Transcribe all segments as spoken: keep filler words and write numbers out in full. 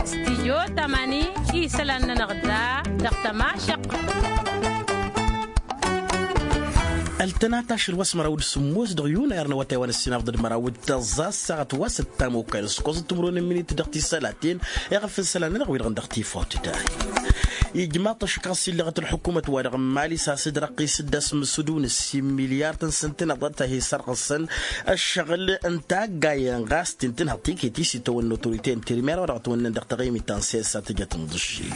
Stijyo tamani isălan-nănăɣ da dăɣ-tămašăq. Ăltănat ašăl wa s-măraw d-sǝmmos dăɣ-yunayăr n-awătay wa n-ăssinafḍăd măraw d-tăẓẓa ăssaɣăt wa s-ăttam okal s-kăẓăt timǝrwen n-imǝnit dăɣ-tisălaten. Iɣăf n-isălan-nănăɣ wi-dăɣ dăɣ-tifawt da. Ijmaḍ-t ăššăk ɣas illăɣăt ălḥukumăt-wa-dăɣ n-mali s-asǝdrăqqis-dd asmǝsǝdu n-ǝssin milyar tăn-sǝntǝnăḍ ad-tăhi sărɣǝsăn ăššăɣǝl n-taggayen ɣas t-intǝnhăḍ tiket-i s-itawănna otorite n-tirmer wa dăɣ-tawănnăn dăɣ-taɣimit ta n-siyasa tǝjăt n-iḍǝššil.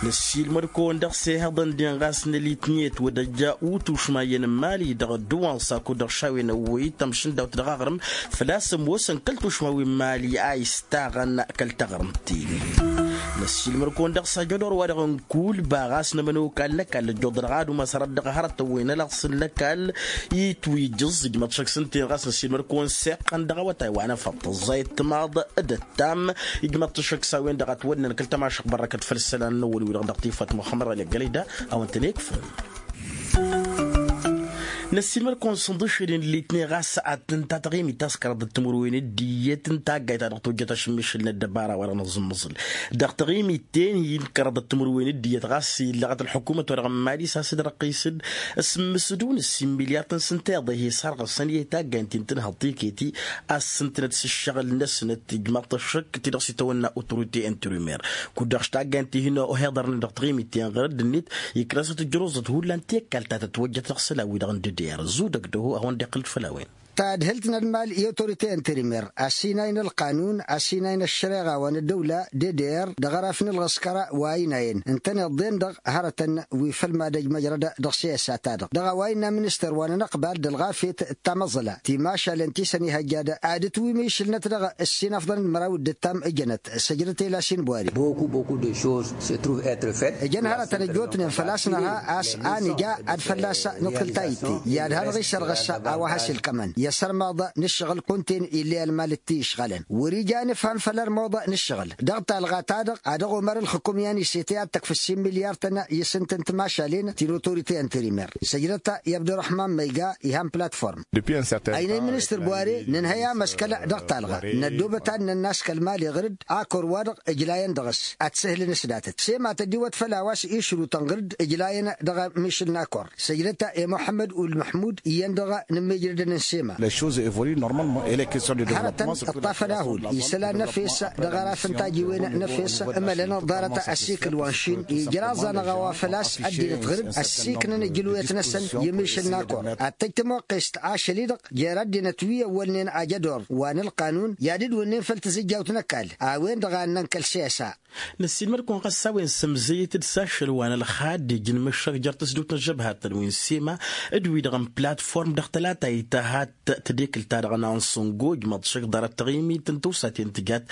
Năssiilmăd-kăwăn dăɣ-sehăḍăn-den ɣas n-elitnet wădăjja utušma iyyăn n-mali dăɣ-ădduwansa kud-dăɣ šawen ăwwăy-t ămšǝndawt dăɣ-aɣrǝm făl-a-s ămoosăn kăl-tušma wi n-mali a istaɣăn kăl-taɣrǝmt-in. Năssiilmăd-kăwăn dăɣ-sajădor-wa-dăɣ n-kulba ɣas n-emănăw kall'-ăkall ăjjuḍălăɣ ad-umas hărăt dăɣ-hărătăn wi n-ălaɣsǝl n-ăkall itwǝjǝẓ ijmăḍ šăkk s-ǝnta-en ɣas năssiilmăd-kăwăn seqqăn dăɣ-awătay wa n-efăṭṭăẓẓayăt timaḍ d-ăttam. Ijmăḍ-t šăkk s-a-wen-dăɣ ătwănnăn kăl-tămašăɣt bărrăkăt făll-isălan n-ăwwăl-wi-dăɣ dăɣ-tifawt muxămmăd ɣali ăggălăy da a-wen-tăn-ikfăn. Năssiilmăd-kăwăn s-ǝnḍǝššǝlin litney ɣas ad-tǝnta taɣimit ta s-kăraḍăt timǝrwen d-iyyăt n-taggayt ta dăɣ-tojjăt ašǝmmišǝl n-ăddăbara wa dăɣ-nǝẓǝmmăẓǝl dăɣ-taɣimit-ten-in kăraḍăt timǝrwen d-iyyăt ɣas illăɣăt ălḥukumăt wa dăɣ-n mali s-asǝdrăqqis-dd s-ǝmmǝsǝdu n-ǝssin milyar tăn-sǝnta iḍehe s-harɣǝsăn i-taggayt ti n-tǝnhăḍ tiketi a ǝssǝntǝnăt s-ǝššăɣǝl-năsnăt ijmaḍ-t ăššăk ti-dăɣ s-itawănna otorite n-tirimer. Kud-dăɣ s-taggayt ti hin-oheḍărnen dăɣ-taɣimit-ten ɣur-dd-net iknăsăt ǝjrǝẓăt hullan ti ăkall ta tătwăjjăt dăɣ-isălan-wi-dăɣ n-dd-dd-iyyăr zudăg dăɣ-hu a-wen-dd-iqqǝl-dd făll-a-wen. Tadhǝlt n-ălmal i-otorite n-tirimer ăsinay n-ălqanun ăsinay n-ăššăreɣa wa n-ăddăwla d-dd-iyyăr dăɣ-araf n-ălɣǝskăr wa ăynayăn ǝntăneḍ-en-dăɣ hărătăn wi făll-madăj măjrăd dăɣ-siyasa-ta-dăɣ dăɣ-a-wa innă ministăr wa n-anăqbal d-ălɣafyăt d-tamăẓla timašalen ti săn ihăjja d-ad-ǝtwǝm išǝlnăt dăɣ-ǝssin afḍăn d-măraw d-ǝttam ǝjănăt săjdăt ela sinbwari. Ǝjăn hărătăn ăjjootnen făl-a-s nărha a-s a nǝja ad-fălla-s nǝḍkǝl ta itte i-ad-hanăɣ-isărɣǝs a-wa has-ilkămăn i-asărmaḍ n-ǝššăɣǝl kunta-en ill'-e ălmal d-ti-išɣalăn wăr-ija a nǝfhăm făll-armuḍ n-ǝššăɣǝl dăɣ-talɣa-ta-dăɣ ad-ăɣumăr ǝlxǝkum i-ad-nǝsetăy ad-tăkf ǝssin milyar-tăn i-isǝntǝn timašalen ti n-otorite n-tirimer săjdăt i-abdurăhman ma iga ihan platform. Ăynăy ministăr bware nǝnhăy amăskăl dăɣ-talɣa năddoobăt ad-nănnas kăl-mali ɣǝr-dd akor-wa-dăɣ ǝjlayăn dăɣ-s ad-t-sǝhlǝn s-datăt sema tăddiwăt făll-a-wa s-išrutăn ɣǝr-dd ǝjlayăn dăɣ-mišǝl n-akor săjdăt i-muḥămmăd ulmăḥmud iyyăn-dăɣ n-immijrădăn n-sema. Hărătăn ǝṭṭafăn ahul isălan n-efes dăɣ-araf n-tajiwen n-efes ǝmălăn ḍarăt ăsikǝl wa n-išin ijraẓ-anăɣ a-wa făl-a-s ăddinăt ɣǝr-dd ăssiknăn ǝjǝlwăyăt-năsăn i-mišǝl n-akor ad-tăj tămoqqest ašăl-i-dăɣ jer-ăddinăt wi ăwwălnen ajădor wa n-ălqanun i-ad-dd-wǝnnen făll-tǝzǝjjawt n-ăkall a-wen-dăɣ a ǝnnăn kăl-siyasa. Năssiilmăd-kăwăn ɣas s-a-wen sǝmzăyăt-dd s-ašăl wa n-ălxadd ijǝnmǝššăk jer-tăsdut n-ăžžăbhatăn wi n-sema d-wi-dăɣ n-platform dăɣ-tălata ităhat tadekǝlt-ta-dăɣ n-ansǝngo ǝjmăḍ šăkk ḍarăt taɣimit n-tawsaten tǝjat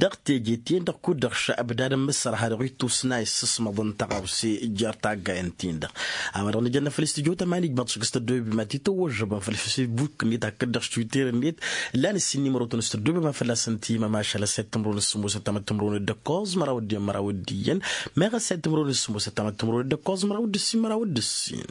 dăɣ-teje-ten-dăɣ kud-dăɣ šăbdad n-mǝssărha dăɣ-ittusna issǝsmăḍ n-tăɣawse jer-taggayăn-tin-dăɣ. A-wa dăɣ-nǝjănna făll-istudyo tămani ǝjmăḍ šăkk s-tăddoyăb ma t-itawăžžăbăn făll-facebook-net hakd-dăɣ s-twitter-net. Lan ǝssin n-imărotăn s-tăddoyăb ma fălla-săn timămašal ăssayăt timǝrwen s-sǝmmos ăttamăt timǝrwen d-ǝkkoẓ măraw d-iyyăn măraw d-iyyăn. Meɣ ăssayăt timǝrwen s-sǝmmos ăttamăt timǝrwen d-ǝkkoẓ măraw d-ǝssin măraw d-ǝssin.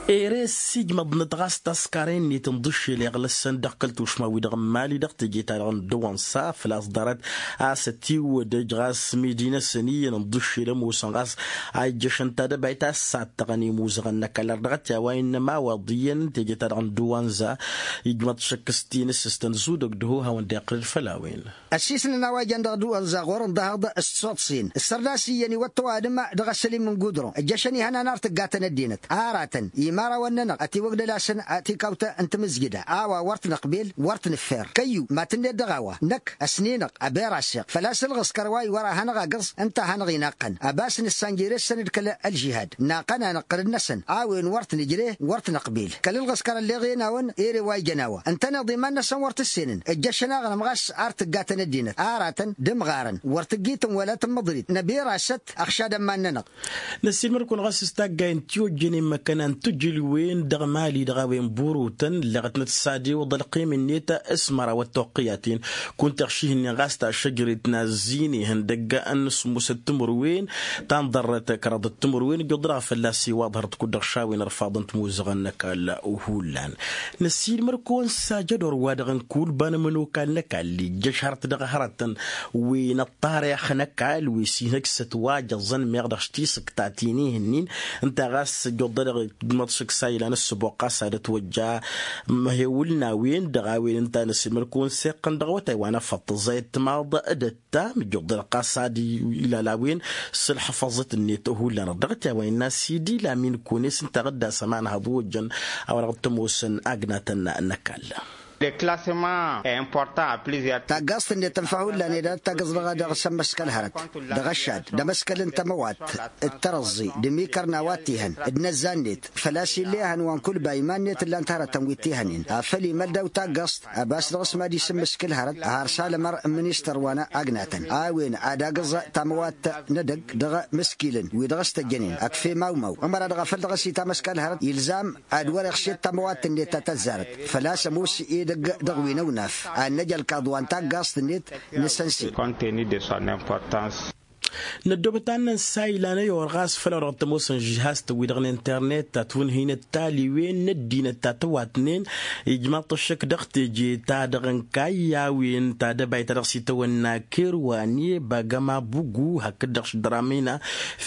Ere s-ijmăḍnăt ɣas taskaren-net n-iḍǝššel iɣlăssăn dăɣ-kăl-tušma-wi-dăɣ n-mali dăɣ-teje-ta-dăɣ n-dăwănsa făl-a-s ḍarăt a-s ătiwădăj ɣas midi-năsăn iyyăn n-iḍǝššel ămoosăn ɣas a ijjăšăn tadăbayt a ǝssattăɣăn imuzăɣăn n-ăkall ar dăɣ-t i-a-wa innă imawaḍ iyyăn n-teje-ta-dăɣ n-dăwănsa. Ijmăḍ šăkk s-tinǝssǝstăn zudăg d-ăho hawăn-dd-iqqǝl-dd făll-a-wen. Ăsisnăn a-wa jăn dăɣ-dăwănza ɣur-ǝnḍăhăḍ s-tisoḍsin ǝssărdas iyyăn iwăt ăwadǝm dăɣ-asălim n-gudron ǝjjăšăn ihănan ar tǝggatăn ăddinăt aratăn imărawăn-nănăɣ ătiwăgdăl-asăn tikawt n-tamǝzjǝda a-wa wăr t-năqbel wăr t-nǝffer kăyyu ma tǝnned dăɣ-a-wa năkk ăsninăɣ ăberaseɣ făl-a-s ǝlɣǝskăr wa iwăr a hanăɣ-agǝẓ ǝnta a hanăɣ-inaqqăn ăbas nǝssan jere-săn d-kăl-ălžihad naqqăn-anăɣ ɣǝrǝd-năsăn a-wen wăr t-nǝjre wăr t-năqbel kăl-ǝlɣǝskăr ălleɣ i-ănawăn ere wa ijăn a-wa ǝntăneḍ iman-năsăn wăr t-ǝssenen ǝjjăšăn aɣrǝm ɣas ar tǝggatăn ăddinăt aratăn d-imɣarăn wăr tǝggitǝn wăla tǝmmǝḍrit năbirasăt ăɣšadăn iman-nănăɣ. Năssiilmăd-kăwăn ɣas s-taggay n-tiwăjjănen măkkăna n-tǝjǝlwen. Dăɣ-mali dăɣ-a-wen burutăn ǝlleɣătnăt s-ad-iwǝḍ ălqim-net s-măraw ăttoqqǝyaten. Kunta ăɣših-nin ɣas tašăjret n-azzin ihăndăgg n-sǝmmusăt timǝrwen ta n-ḍarrăt kăraḍăt timǝrwen ǝjjuḍ-dăɣ fălla-s iwaḍ hărăt kud-dăɣ šawen ărfaḍăn timuzăɣăn n-ăkall. Hullan năsiilmăr-kăwăn s-ajădor wa-dăɣ n-kulba n-ămănokal n-ăkall ijjăš hărăt dăɣ-hărătăn wi n-ăṭṭarix n-ăkall wi s-inhăj s-ătwajăẓăn meɣ dăɣ-s tisǝktaten ihǝnnin. Ǝnta ɣas ăjjuḍ-dăɣ d-măḍšǝk s-a ilan ǝssǝboɣ ɣas ad-ătwăjja măhewǝl n-a-wen dăɣ-a-wen ǝnta n-ăsimăl-kăwăn s-iqqăn dăɣ-awătay wa n-afăṭṭăẓ a itmaḍ d-ătta mǝjjuḍ-dăɣ ɣas ad-ilal a-wen s-ǝlḥăfăẓăt-net hullan-dăɣ dăɣ-t i-a-wa innă sidi lamin kunes ǝnta ɣǝdda s-ămanhăḍ wăjjăn a-wa dăɣ-t ămoosăn agnatăn n-ăkall. Taggaẓt-net tǝnfa hullan ed ad-tagǝẓ dăɣ-s ămmăskăl hărăt dăɣ-ăššad d-amăskăl n-tămăwatt d-tărăẓẓi d-imikăr n-a-wa t-ihăn d-inăzzan-net făl-a-s ill'-e ehăn wa n-kulba iman-net ǝllan-t hărătăn wi t-ihănen afăl imăl daw-taggaẓt. Ăbas dăɣ-s mad-isǝmmǝskǝl hărăt har s-alămăr n-ministăr wa n-agnatăn a-wen ad-agǝẓ tamăwatt n-edăgg dăɣ-imǝskilăn wi dăɣ-s tăjjănen ăkf' emawmaw ămăra-dăɣ a făl dăɣ-s itamăskal hărăt ilzam ad-wăr-iɣšed tamăwatt-net ta tăzzarăt. Făl-a-s ămoos edăgg dăɣ-wi n-ăwnaf ad-năj ălkaḍ wa n-taggaẓt-net n-asănsi. Năddoobăt ad-nănsa ilan ăyor ɣas făll-a-wa dăɣ-t ămoosăn žihaz-tăn-wi-dăɣ n-internet ta tunhǝynăt taliwen n-ăddinăt ta tăwatnen. Ijmaḍ-t ăššăk dăɣ-teje-ta-dăɣ ǝnkayy a-wen ta dăbayt ta dăɣ-s itawănna kerwane bagăma bugu hakd-dăɣ s-dramina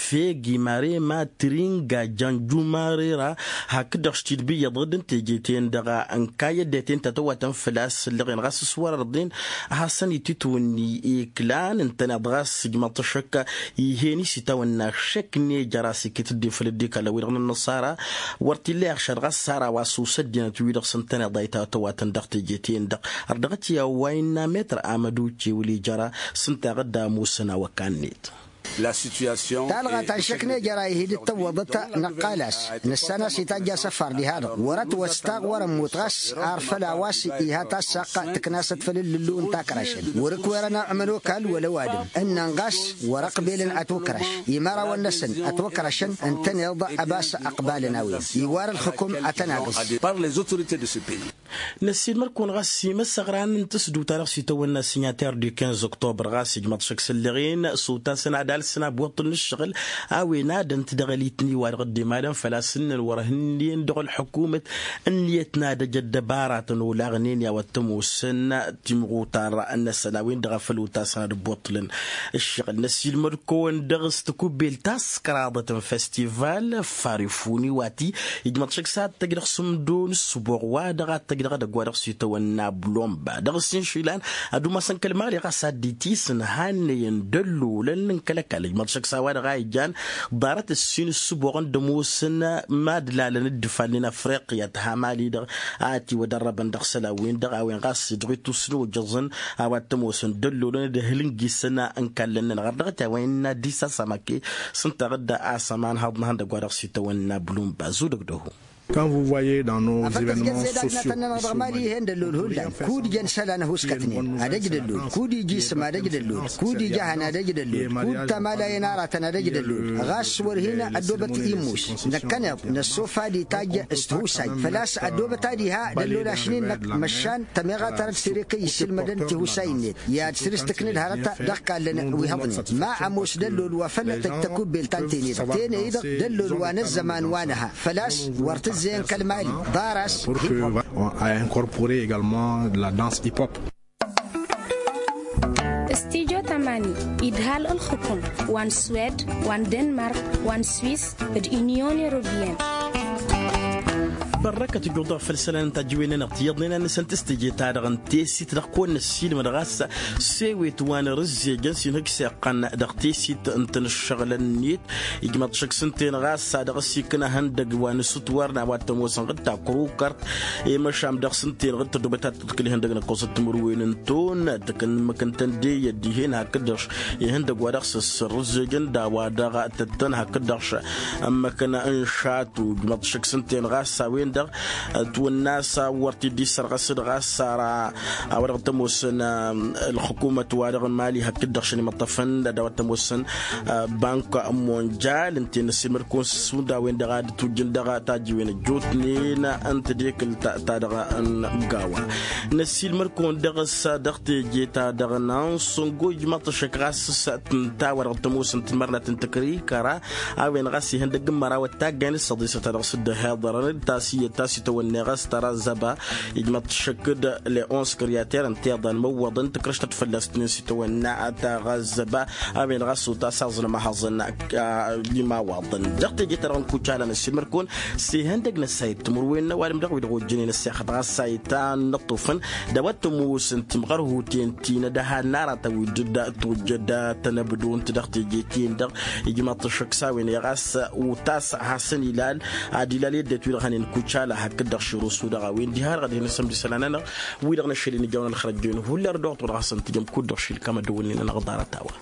fegi marema tringa janju marera. Hakd-dăɣ s-tidbǝyyăḍ dd-ǝnteje-ten-dăɣ ǝnkayy ăddinăt ta tăwatăn făl-a-s ǝllăɣen ɣas s-wăr-ărḍen a hasăn-ititwǝnni iklan ǝntăneḍ ɣas ijmăḍ-t ăššăk. Ih'-en isitawănna ăššăk n-ejăr a-s iket dd-efăl dd-ikall a-wi-dăɣ n-ănnăṣara wăr t-illa iɣšad ɣas s-ara wa s-us ăddinăt-wi-dăɣ s-ǝntăneḍ a itawătăn dăɣ-teje-ten-dăɣ. Ărdăɣăt i-a-wa innă metr amăduce wăl' ijăra s-ǝnta a ɣǝdda ămoosăn awăkan-net. Talɣa ta n-šăknejăr a ihi d-tăwwăḍăt năqqal-as nǝssan a-s itajj asăfar diha-dăɣ wăr-ătwăstaɣ wăr-ămmut ɣas ar făll-a-wa s-iha tassaqq tǝknasăt făll-ǝllǝllu n-takrăšăn wăr-ǝkwerăn ămănokal wăla ăwadǝm ǝnnăn ɣas wăr-ăqbelăn ătukrăš imărawăn-năsăn ătukrăšăn ǝntăneḍ ăbas ăqbalăn a-wen iwar ǝlxǝkum ad-tăn-agǝẓ. Năssiilmăr-kăwăn ɣas imăsăɣran n-tǝsdǝwt-a-dăɣ s-itawănna signater du quinze octobre ɣas ijmăḍ šăkk s-ǝlleɣen s-utasăn ad-alsăn abuṭṭǝl n-ǝššăɣǝl a-wen ad-ănt dăɣ-ălitni wa dăɣ-dd-imalăn făl-a-s ǝnnăn wăr-hǝnnen dăɣ-ălḥukumăt ǝnniyăt n-ad-ăj ăddăbaratăn olaɣnen i-a-wa t-ămoosăn timɣutar-năsăn a-wen-dăɣ a făl utasăn ad-ǝbbuṭṭǝlăn. Ǝššăɣǝl năssiilmăd-kăwăn dăɣ-s tikubbelt ta s-kăraḍăt n-festival farifuni wa ti ijmăḍ šăkk s-ad-tăj dăɣ-sǝmdo n-ǝssǝboɣ wa dăɣ-ad-tăj dăɣ-edăgg wa dăɣ-s itawănna blomba dăɣ-s inšilan ad-umasăn kăl-mali ɣas ad-dd-itisǝnhannăyăn d-ăllolăn n-kăl-ăkall ijmăḍ šăkk s-a-wa-dăɣ a ijan ḍarăt ǝssin ǝssǝboɣăn d-ămoosăn mad-lalăn dd-ifalnen afriqya tǝha mali-dăɣ a ătiwădărrăbăn dăɣ-isălan-win-dăɣ a-wen ɣas dăɣ-itusnojăẓăn a-wa t-ămoosăn d-ăllolăn d-ehǝl n-gisăn n-kallăn-nănăɣ ărdăɣăt i-a-wa innă dd-isasamake s-ǝnta ɣǝdda a-s ămanhăḍ n-ihăndăgg wa dăɣ-s itawănna blumba zudăg d-oho. Quand vous voyez dans nos afăl tǝzjăt zed agnatăn-nănăɣ dăɣ-mali ih'-en d-ăllol hullan kud-jăn isălan ăhuskătnen ad-ăj d-ăllol kud-ija isǝm ad-ăj d-ăllol kud-ija ehăn ad-ăj d-ăllol kud tamalayen aratăn ad-ăj d-ăllol ɣas wăr hin-ăddoobăt immus năkkăneḍ năssof ad-itajj s-tihusay făl-a-s ăddoobăt ad-iha d-ăllol ašnin-năk măšan tămeɣa tarăt tirek i-isǝlmădăn tihusay-net i-ad-săr-s tǝknǝd hărăt dăɣ-kallăn wi hăḍnen ma ămoos d-ăllol wa făl tăj tăkubbelt ta n-tened teney-dăɣ d-ăllol wa n-ăzzăman wa nǝha făl-a-s wăr tǝzzeyăn kăl-mali ḍar-as. Pour que a incorporé également la danse hip-hop. Studyo tamani idhal ǝlxǝkum wa n-swed wa n-denmark wa n-swis d-unyon europeyenne. Bărrăkăt ǝjjuḍ-dăɣ făll-isălan n-tajǝwen-nănăɣ tiyyăḍnen ad-nǝsăn tǝstǝje-ta-dăɣ n-tesit dăɣ-kăwăn-năssiilmăd ɣas s-ewet wa n-erǝzzejăn s-inhǝj s-iqqăn dăɣ-tesit n-tinǝššăɣǝlăn-net. Ijmăḍ šăkk s-ǝnta-en ɣas a dăɣ-s ikna ihăndăgg wa n-asǝtwar n-a-wa t-ămoosăn ɣǝd takrukărt i-măšan dăɣ-s ǝnta-en ɣǝd tădobăt ad-tǝḍkǝl ihăndăgg n-ǝkkoẓăt timǝrwen n-ton d-kăn mǝkǝntăn de iyyăt dihen hakd-dăɣ ihăndăg wa dăɣ-s ăssărrǝzzejăn d-a-wa dăɣ-tăttăn hakd-dăɣ ămmăkăn n-šatu ǝjmăḍ šăkk s-ǝnta-en ɣas a-wen. dăɣ-twănna s-a wăr t-dd-issărɣăs d-ɣas ara a-wa dăɣ-t-ămoosăn ălxukumăt-wa-dăɣ n-mali hakd-dăɣ šăn imăṭṭăfăn d-a-wa t-ămoosăn bank monjal ǝnta-en năssiilmăd-kăwăn s-hundăɣ a-wen-dăɣ a dd-tujjǝn dăɣ-tajjiwen ăjjootnen n-tedekǝlt-ta-dăɣ n-gawa. Năssiilmăd-kăwăn dăɣ-s dăɣ-teje-ta-dăɣ n-ansăngo ijmaḍ-t ăššăk ɣas s-tǝnta a-wa dăɣ-t-ămoosăn timărnat n-tăkrikăra a-wen ɣas ihăndăgg n-mărawăt taggayn s-ăḍisăt ta dăɣ-s dd-ăhiḍărăn d-tasiyyăt ta s-itawănna i-ɣas tărazzăba. Ijmăḍ-t šăkk d-leons kăryater ǝnta iḍan măwwăḍăn tǝkrăštăt fălla-s tǝnǝn s-itawănna ta ɣazzăba. A-wen ɣas utas aẓǝnăm ahăẓăn. Imawaḍăn dăɣ-teje-ta-dăɣ n-kucala n-ăssiilmăd-kăwăn s-ihăndăg n-ăssayăt timǝrwen n-ăwadǝm dăɣ-wi-dăɣ ojjănen ăssexăt ɣas a itan n-ăṭṭufăn d-a-wa t-ămoosăn timɣărhuten ti n-ad-ăhann aratăn wi dd-tujjăd tănăbdunt dăɣ-teje-ti-en-dăɣ. Ijmaḍ-t ăššăk s-a-wen i-ɣas utas hasăn-ilal ad-ilal i-ăddinăt wi-dăɣ hănen kucala hakd-dăɣ širus-u-dăɣ a-wen diha-dăɣ ad-hin-ăsămdǝsăl anănăɣ wi-dăɣ n-ašăl-in ijawăn ălxărăjjoyăn hullan d-oɣ-t-wăr ɣas ǝntǝjăm kud-dăɣ šilkam ad-dăwănnen anăɣ-ḍarăt a-wa.